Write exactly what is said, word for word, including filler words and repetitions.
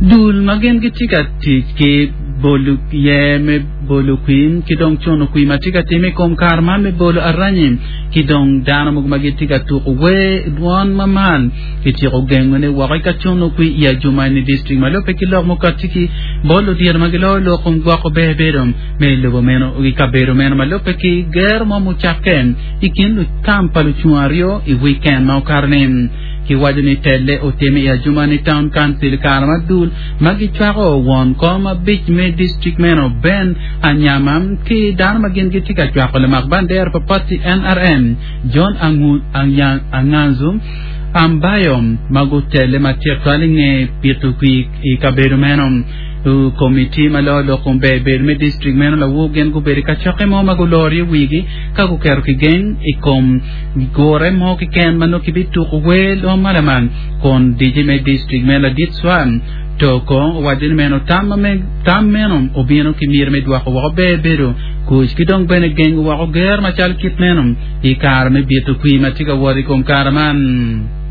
Dul ma gin gitye ka tic ki bolo yer me bolo kwir ki dong cuno kwir ma tye ka timme i kom kare man me bolo aranyi ki dong dano mogo ma gitye ka tuko wer dwon ma mal kityeko gengone woko i ka cuno kwir i Adjumani District ma lubbe ki lok mukati ki bot ludito ma giloyo lok kom gwoko ber bedo me lobo meno i kabedo meno ma lubbe ki gero mo mucakke i kin lutam pa lucung aryo i wiken ma okato-ni. Kiwaco ni telle otimme i Adjumani Town Council i kare ma dul ma gicwako won kom abic me distrik meno Ben Anyama ki dano ma gin gitye ka cwako lamak bandera pa pati N R M John Anganzu Ambayo ma gutelle matek twal i nge pito kwir i kabedo meno. Komiti ma loyo lok kom ber bedo me distrik meno lawor gin gubedo i kacokke mo ma guloro iye wigi ka guketo kigeng i kom gure mo keken ma nongo kibituko wer lwong ma lamal kun dice me distrik me ladit Swan Toko owaco ni meno tam tam meno obino ki miti me dwoko woko ber bedo kuc ki dong bene gengo woko ger macal kit meno i kare me bito kwir ma tye ka wot i kom kare man.